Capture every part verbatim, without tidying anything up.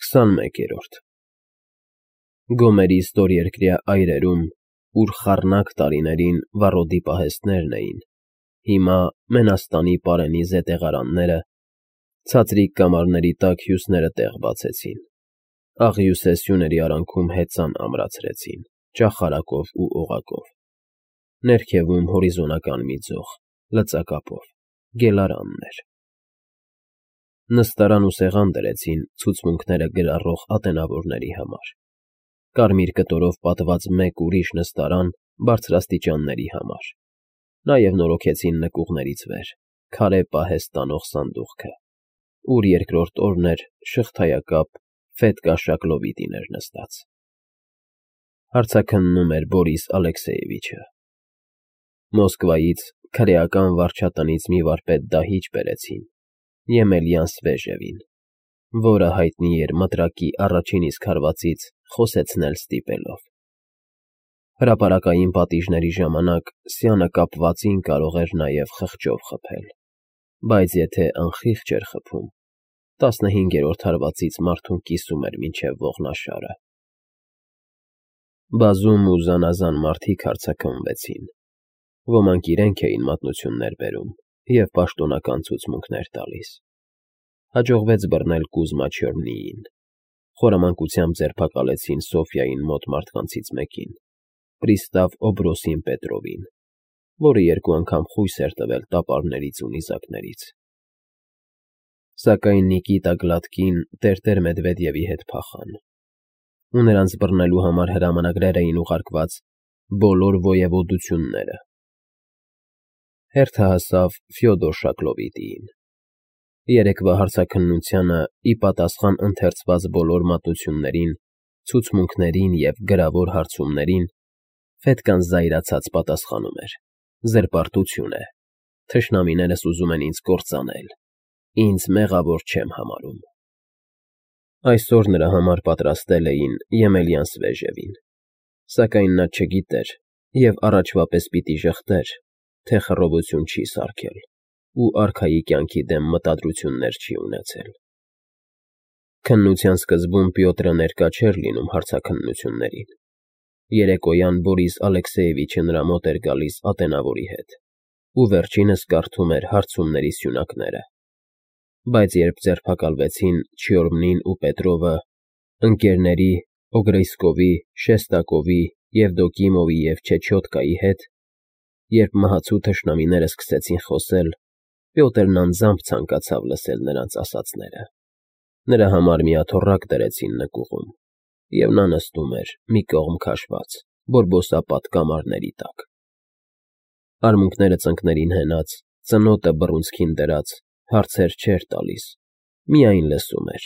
քսանմեկերորդ Գոմերի ստորերկրյա այրերում, ուր խառնակ տարիներին վառոդի պահեստներն էին, հիմա Մենաստանի պարենի զետեղարանները, ցածրիկ կամարների տակ հյուսները տեղ բացեցին, աղյուսե սյուների արանքում հեծան ամրացրեցին, ճախարակով ու օղակով, ներքևում հորիզոնական մի ձող, լծակապով, գելարաններ. Նստարան ու սեղան դրեցին ցուցմունքները գրառող ատենավորների համար, կարմիր կտորով պատված մեկ ուրիշ նստարան բարձրաստիճանների համար, նաև նորոգեցին նկուղներից վեր քարե պահեստ տանող սանդուղքը, ուր երկրորդ օրն էր շղթայակապ Ֆեդկա Շակլովիտին էր նստած. հարցաքննում էր Բորիս Ալեքսեևիչը. Մոսկվայից քրեական վարչատնից մի վարպետ դահիճ բերեցին Եմելյան Սվեժևին, որը հայտնի էր մտրակի առաջին իսկ հարվածից խոսեցնել ստիպելով. հրապարակային պատիժների ժամանակ սյանը կապվածին կարող էր նաև խղճով խփել, բայց եթե անխիղճ էր խփում, տասնհինգերորդ հարվածից մարդուն կիսում էր մինչև ողնաշարը. Բազում ու զանազան մարդիկ հարցաքննվեցին, ոմանք իրենք էին մատնություններ բերում և պաշտոնական ցուցմունքներ տալիս, հաջողվեց բռնել Կուզմա Չյոմնիին, խորամանկությամբ ձերբակալեցին Սոֆյային մոտ մարդկանցից մեկին, պրիստավ Օբրոսին Պետրովին, որը երկու անգամ խույս էր տվել տապարներից ու նիզակներից, սակայն Նիկիտա Գլադկին տեր֊տեր Մեդվեդևի հետ փախան, ու նրանց բռնելու համար հրամանագրեր էին ուղարկված բոլոր ոյևոդությունները. Հերթը հասավ Ֆյոդոր Շակլովիտիին. երեկվա հարցաքննությանը ի պատասխան ընթերցված բոլոր մատնություններին, ցուցմունքներին և գրավոր հարցումներին, Ֆետկան զայրացած պատասխանում էր. զրպարտություն է, թշնամիներս ուզում են ինձ կործանել, ինձ մեղավոր չեմ համարում. Այսօր նրա համար պատրաստել էին Եմելյան Սվեժևին, սակայն նա չգիտեր և առաջվա պես պիտի ժխտեր, թե խռովություն չի սարքել ու արքայի կյանքի դեմ մտադրություններ չի ունեցել. Քննության սկզբում Պյոտրը ներկա չէր լինում հարցաքննություններին, երեկոյան Բորիս Ալեքսեևիչը նրա մոտ էր գալիս ատենավորի հետ ու վերջինս կարդում էր հարցումների սյունակները, բայց երբ ձերբակալվեցին Չյորմնին ու Պետրովը, ընկերների Օգրեյսկովի, Շեստակովի, Եվդոկիմովի և Չեչյոտկայի հետ, երբ մահացու թշնամիները սկսեցին խոսել, Պյոտրն անձամբ ցանկացավ լսել նրանց ասածները, նրա համար մի աթոռակ դրեցին նկուղում, և նա նստում էր մի կողմ քաշված, բորբոսապատ կամարների տակ, արմունկները ծնկներին հենած, ծնոտը բռունցքին դրած, հարցեր չէր տալիս, միայն լսում էր,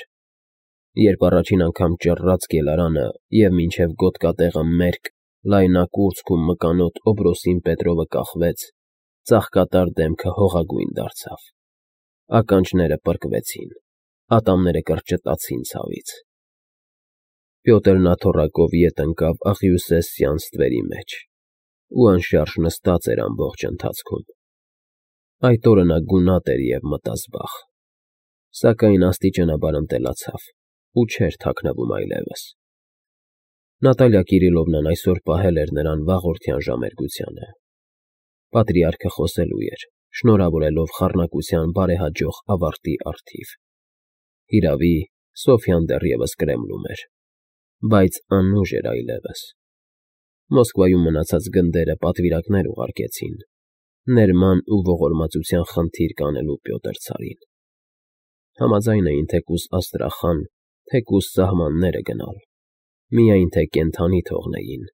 երբ առաջին անգամ ճռռաց գելարանը և մինչև գոտկատեղը մերկ, լայնակուրծք ու մկանոտ Օբրոսին Պետրովը կախվեց, ծաղկատար դեմքը հողագույն դարձավ, ականջները պրկվեցին, ատամները կրճտացին ցավից, Պյոտրն աթոռակով ետ ընկավ աղյուսե սյան ստվերի մեջ ու անշարժ նստած էր ամբողջ ընթացքում, այդ օրը նա գունատ էր և մտազբաղ, սակայն աստիճանաբար ընտելացավ ու չէր թաքնվում այլևս. Նատալիա Կիրիլովնան այսօր պահել էր նրան վաղորդյան ժամերգությանը, պատրիարքը խոսելու էր, շնորհավորելով խառնակության բարեհաջող ավարտի առթիվ, հիրավի, Սոֆյան դեռևս Կրեմլում էր, բայց անուժ էր այլևս, Մոսկվայում մնացած գնդերը պատվիրակներ ուղարկեցին, ներման ու ողորմածության խնդիր կանելու Պյոտր ցարին, համաձայն էին թեկուզ Աստրախան, թեկուզ սահմանները գնալ, միայն թե կենդանի թողնեին,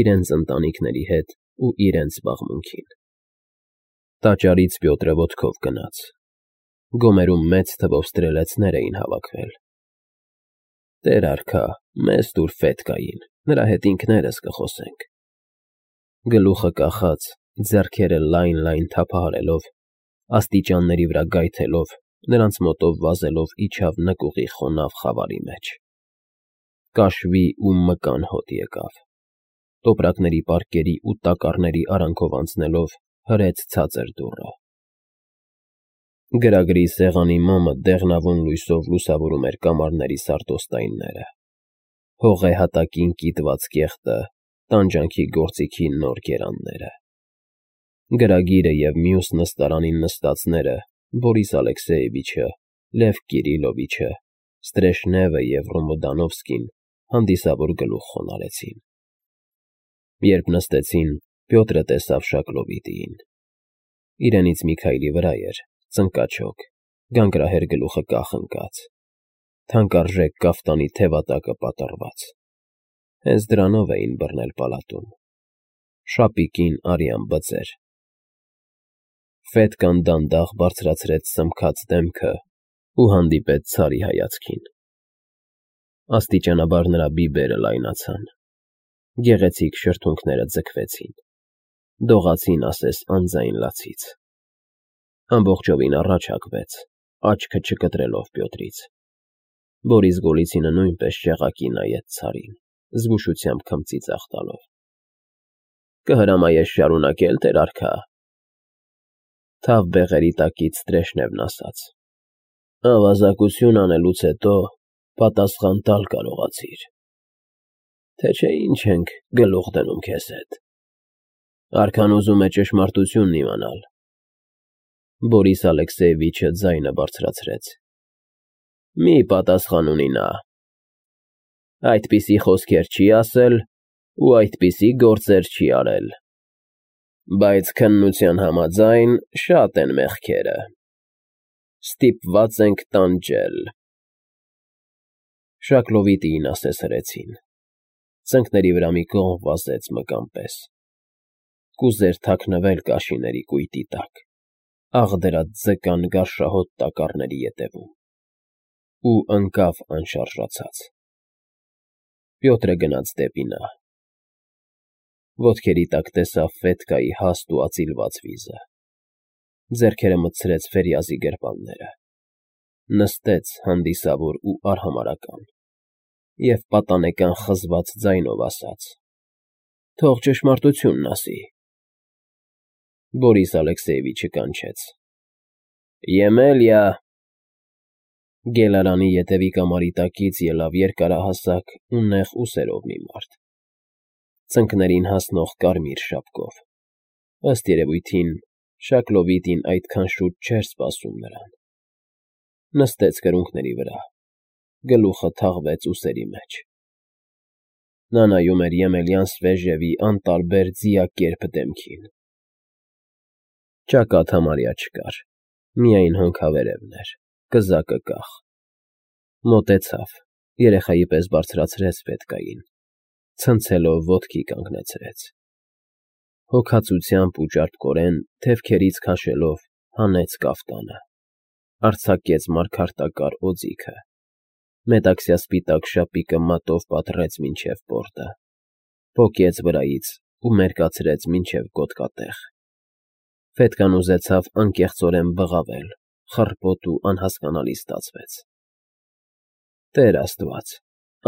իրենց ընտանիքների հետ ու իրենց զբաղմունքին. Տաճարից Պյոտրը ոտքով գնաց, գոմերում մեծ թվով ստրելեցներ էին հավաքվել. Տեր արքա, մեզ տուր Ֆետկային, նրա հետ ինքներս կխոսենք, գլուխը կախած, ձեռքերը լայն֊լայն թափահարելով, աստիճանների վրա գայթելով, նրանց մոտով վազելով իջավ նկուղի խոնավ խավարի մեջ, կաշվի ու մկան հոտ եկավ, տոպրակների պարկերի ու տակառների արանքով անցնելով հրեց ցածր դուռը, Գրագրի սեղանի մամը դեղնավուն լույսով լուսավորում էր կամարների սարտոստայինները, հողե հատակին կիտված կեղտը, տանջանքի գործիքի նոր գերանները։ Գրագիրը և մյուս նստարանին նստածները Բորիս Ալեքսեևիչը, Լև Կիրիլովիչը, Ստրեժնևը և Ռոմոդանովսկին հանդիսավոր գլուխ խոնարհեցին։ Երբ նստեցին, Պյոտրը տեսավ Շակլովիտիին։ Իրենից մի քայլի վրա էր, ծնկաչոք, գանգրահեր գլուխը կախ ընկած, թանկարժեք կաֆտանի թևատակը պատռված։ Հենց դրանով էին բռնել պալատում։ Շապիկին արյան բծեր։ Ֆետկան դանդաղ բարձրացրեց սմքած դեմքը ու հանդիպեց Ցարի հայացքին։ Աստիճանաբար նրա բիբերը լայնացան, գեղեցիկ շրթունքները ձգվեցին, դողացին ասես անձայն լացից։ Ամբողջովին առաջ հակվեց, աչքը չկտրելով Պյոտրից։ Բորիս Գոլիցինը նույնպես շեղակի նայեց Ցարին, զգուշությամբ քմծի ձախ տալով։ Կհրամայես շարունակե՞լ, տեր արքա։ Թավ բեղերի տակից Ստրեժնևն ասաց. Ավազակություն անելուց հետո պատասխան տալ կարողացիր, թե չէ ինչ ենք գլուխ դնում քեզ հետ։ Արքան ուզում է ճշմարտությունն իմանալ։ Բորիս Ալեքսեևիչը ձայնը բարձրացրեց։ Մի պատասխան ունի նա։ Այդպիսի խոսքեր չի ասել ու այդպիսի գործեր չի արել։ Բայց քննության համաձայն շատ են մեղքերը։ Ստիպված ենք տանջել։ Շակլովիտիին ասես հրեցին։ Ծնկների վրա մի կողմ վազեց մկան պես։ Կուզեր թաքնվել կաշիների կույտի տակ, աղդրած ձկան գարշահոտ տակառների ետևում։ Ու ընկավ անշարժացած։ Պյոտրը գնաց դեպի նա։ Ոտքերի տակ տեսավ Ֆետկայի հաստ ու ածիլված վիզը։ Ձեռքերը մտցրեց Ֆերյազի գրպանները։ Նստեց հանդիսավոր ու արհամարհական և պատանեկան խզված ձայնով ասաց. Թող ճշմարտությունն ասի։ Բորիս Ալեքսեևիչը կանչեց. Եմելիա։ Գելարանի ետևի կամարի տակից ելավ երկարահասակ ու նեղ ուսերով մի մարդ, ծնկներին հասնող կարմիր շապկով։ Ըստ երևույթին, Շակլովիտին այդքան շուտ չէր սպասում նրան։ Նստեց կրունկների վրա, գլուխը թաղվեց ուսերի մեջ։ Նա նայում էր Եմելյան Սվեժևի անտարբեր ձիակերպ դեմքին։ Ճակատ համարյա չկար, միայն հոնքավերևն էր, կզակը կախ։ Մոտեցավ, երեխայի պես բարձրացրեց Ֆետկային, ցնցելով ոտքի կանգնեցրեց։ Հոգածությամբ ու ճարպկորեն, թևքերից քաշելով, հանեց կաֆտանը, արձակեց մարգարտակար օձիքը, մետաքսյա սպիտակ շապիկը մատով պատռեց մինչև պորտը, պոկեց վրայից ու մերկացրեց մինչև գոտկատեղ։ Ֆետկան ուզեցավ անկեղծորեն բղավել, խռպոտ ու անհասկանալի ստացվեց։ Տեր Աստված,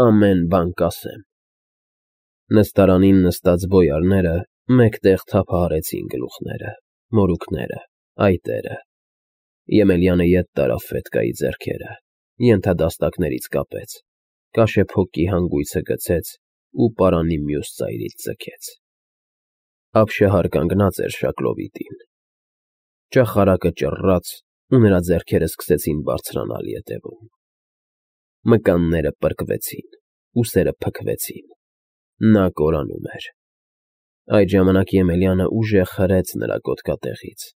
ամեն բան կասեմ։ Նստարանին նստած բոյարները մեկտեղ թափահարեցին գլուխները, մորուքները, այտերը։ Եմելյանը ետ տարավ Ֆետկայի ձեռքերը, ենթադաստակներից կապեց, կաշեփոկի հանգույցը գցեց ու պարանի մյուս ծայրից ձգեց։ Ապշահար կանգնած էր Շակլովիտին։ Ճախարակը ճռռաց ու նրա ձեռքերը սկսեցին բարձրանալ ետևում։ Մկանները պրկվեցին, ուսերը փքվեցին։ Նա կորանում էր։ Այդ ժամանակ Եմելյանը ուժեղ հրեց նրա գոտկատեղից,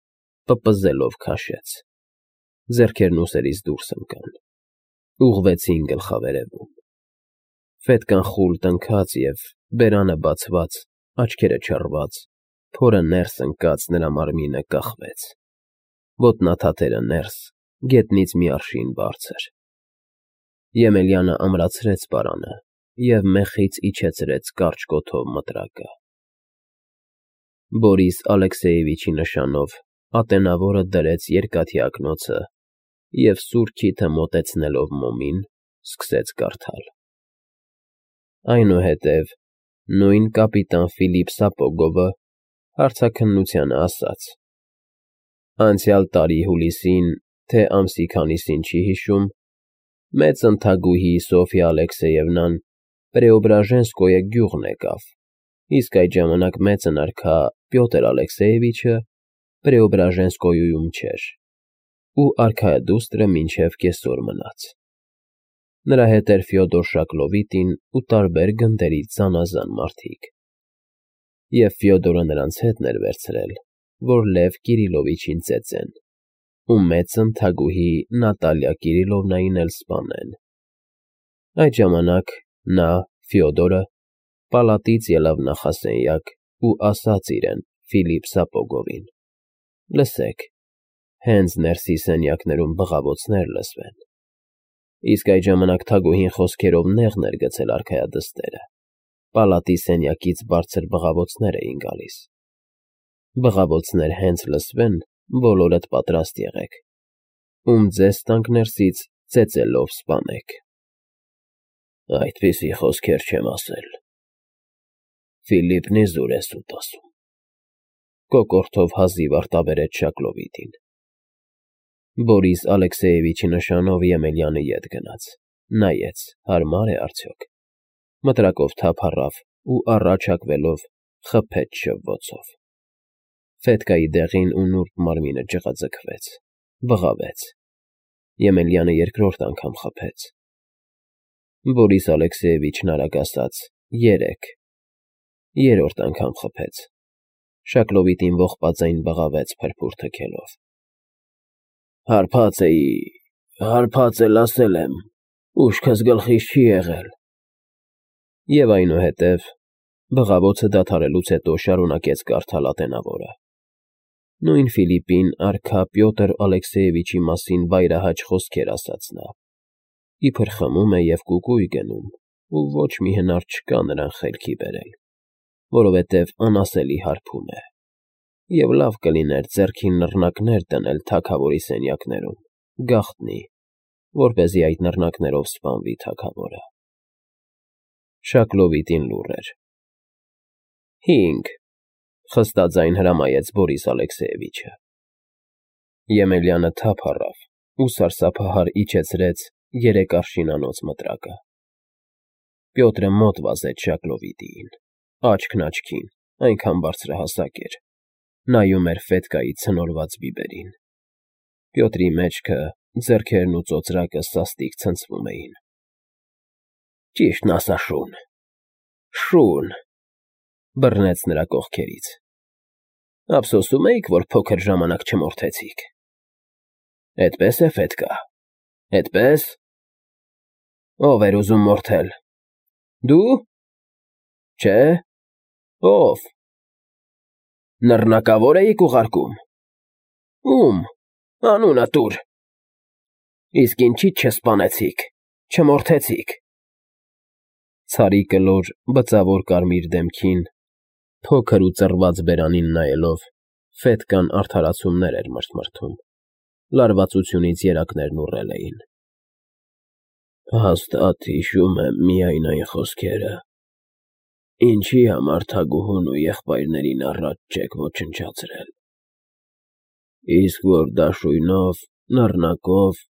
պպզելով քաշեց։ Ձեռքերն ուսերից դուրս ընկան, ուղղվեցին գլխավերևում։ Ֆետկան խուլ տնքաց և, բերանը բացված, աչքերը չռված, փորը ներս ընկած նրա մարմինը կախվեց։ Ոտնաթաթերը ներս, գետնից մի արշին բարձր։ Եմելյանը ամրացրեց պարանը և մեխից իջեցրեց կարճ կոթով մտրակը։ Բորիս Ալեքսեևիչի նշանով ատենավորը դրեց երկաթի ակնոցը և սուր քիթը մոտեցնելով մոմին, սկսեց կարդալ։ Այնուհետև նույն կապիտան Ֆիլիպ Սապոգովը հարցաքննությանը ասաց. Անցյալ տարի հուլիսին թե ամսի քանիսին չի հիշում, մեծ ընթագուհի Սոֆյա Ալեքսեևնան Պրեոբրաժենսկոյե գյուղն եկավ, իսկ այդ ժամանակ մեծն արքա Պյոտր Ալեքսեևիչը Պրեոբրաժենսկոյում չէր, ու արքայադուստրը մինչև կեսօր մնաց։ Նրա հետ էր Ֆյոդոր Շակլովիտին ու տարբեր գնդերից զանազան մարդիկ։ Եվ Ֆյոդորը նրանց հետն էր վերցրել, որ Լև Կիրիլովիչին ծեծեն, ու մեծ ընթագուհի Նատալիա Կիրիլովնային էլ սպանեն։ Այդ ժամանակ նա, Ֆյոդորը, պալատից ելավ նախասենյակ ու ասաց իրեն Ֆիլիպ Սապոգովին. «Լսեք, հենց ներսի սենյակներում բղավոցներ լսվեն»։ Իսկ այդ ժամանակ թագուհին խոսքերով նեղն էր գցել արքայադստերը, պալատի սենյակից բարձր բղավոցներ էին գալիս։ Բղավոցներ հենց լսվեն, բոլորդ պատրաստ եղեք, ում ձեզ տանք ներսից ծեծելով սպանեք։ Այդպիսի խոսքեր չեմ ասել։ Ֆիլիպն իզուր է սուտ ասում։ Կոկորդով հազիվ արտաբերեց Շակլովիտին։ Բորիս Ալեքսեևիչի նշանով Եմելյանը ետ գնաց, նայեց, հարմար է արդյոք, մտրակով թափ առավ ու առաջ հակվելով խփեց շվվոցով։ Ֆետկայի դեղին ու նուրբ մարմինը ջղաձգվեց, բղավեց։ Եմելյանը երկրորդ անգամ խփեց։ Բորիս Ալեքսեևիչն արագ ասաց. երեք։ Երրորդ անգամ խփեց։ Շակլովիտին ողբաձայն բղավեց փրփուր թքելով։ Հարբած էի, հարբած էլ ասել եմ, ուշքս գլխիս չի եղել։ Եվ այնուհետև բղավոցը դադարելուց հետո շարունակեց կարդալ ատենավորը։ Նույն Ֆիլիպին արքա Պյոտր Ալեքսեևիչի մասին վայրահաճ խոսքեր ասաց նա, իբր խմում է և կուկույ գնում, ու ոչ մի հնար չկա նրան խելքի բերել, որովհետև անասելի հարբում է, և լավ կլիներ ձեռքին նռնակներ դնել թագավորի սենյակներում, գաղտնի, որպեսզի այդ նռնակներով սպանվի թագավորը։ Շակլովիտին լուռ էր։ Հինգ, խստաձայն հրամայեց Բորիս Ալեքսեևիչը։ Եմելյանը թափ առավ ու սարսափահար իջեցրեց երեք արշինանոց մտրակը։ Պյոտրը մոտ վազեց Շակլովիտիին, աչքն աչքին, այնքան բարձրահասակ էր, նայում էր Ֆետկայի ցնորված բիբերին։ Պյոտրի մեջքը, ձեռքերն ու ծոծրակը սաստիկ ցնցվում էին։ Ճիշտն ասա, շուն, շուն, բռնեց նրա կողքերից։ Ափսոսում էիք, որ փոքր ժամանակ չմորթեցիք։ Էդպես է, Ֆետկա, էդպես։ Ով էր ուզում մորթել։ Դու։ Չէ։ Ով։ Նռնակավոր էիք ուղարկում։ Ում։ Անունը տուր։ Իսկ ինչի՞ չսպանեցիք, չմորթեցիք։ Ցարի կլոր, բծավոր կարմիր դեմքին, փոքր ու ծռված բերանին նայելով, Ֆետկան արդարացումներ էր մրթմրթում, լարվածությունից երակներն ուռել էին։ Հաստատ հիշում եմ միայն այն խոսքերը, ինչի համար թագուհուն ու եղբայրներին առաջ չեք ոչնչացրել։ Իսկ որ դաշույնով, նռնակով,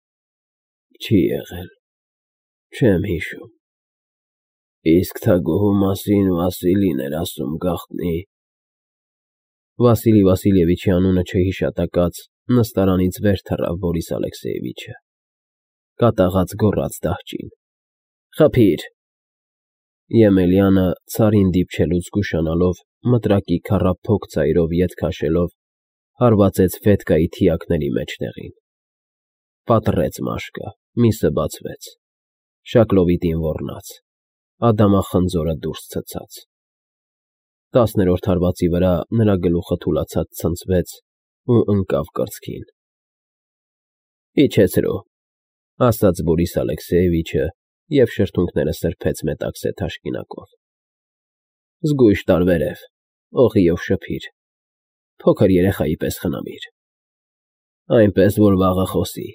չի եղել, չեմ հիշում։ Իսկ թագուհու մասին Վասիլին էր ասում, գաղտնի։ Վասիլի Վասիլևիչի անունը չհիշատակած նստարանից վեր թռավ Բորիս Ալեքսեևիչը, կատաղած գոռաց դահճին. Խփիր։ Եմելյանը, ցարին դիպչելուց զգուշանալով, մտրակի քառափոք ծայրով ետ քաշելով, հարվածեց Ֆետկայի թիակների մեջտեղին։ Պատռեց մաշկը, միսը բացվեց, Շակլովիտին ոռնաց, ադամախնձորը դուրս ցցաց։ Տասներորդ հարվածի վրա նրա գլուխը թուլացած ցնցվեց ու ընկավ կրծքին։ Իջեցրու, ասաց Բորիս Ալեքսեևիչը և շրթունքները սրբեց մետաքսե թաշկինակով։ Զգույշ տարբերև, օղիով շփիր, փոքր երեխայի պես խնամիր, այնպես որ վաղը խոսի։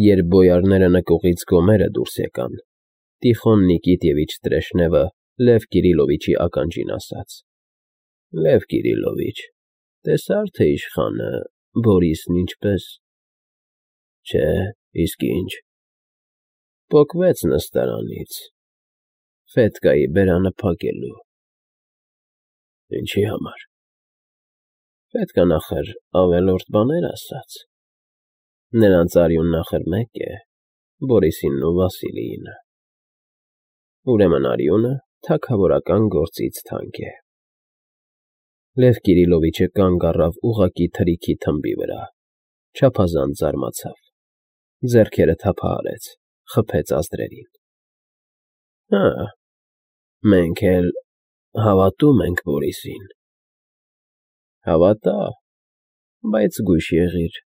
Երբ բոյարները նկուղից գոմերը դուրս եկան, Տիխոն Նիկիտևիչ Տրեշնևը Լև Կիրիլովիչի ականջին ասաց. Լև Կիրիլովիչ, տեսա՞ր, թե իշխանը Բորիսն ինչպես։ Չէ, իսկ ինչ։ Պոկվեց նստարանից, Ֆետկայի բերանը փակելու։ Ինչի համար։ Պետք է նախր ավելորդ բաներ ասաց։ Նրանց արյունն ախր մեկ է, Բորիսինն ու Վասիլիինը։ Ուրեմն արյունը թագավորական գործից թանկ է։ Լև Կիրիլովիչը կանգ առավ ուղղակի թրիքի թմբի վրա, չափազանց զարմացավ, ձեռքերը թափահարեց, խփեց ազդրերին։ Հը, մենք էլ հավատում ենք Բորիսին։ Հավատա, բայց զգույշ եղիր,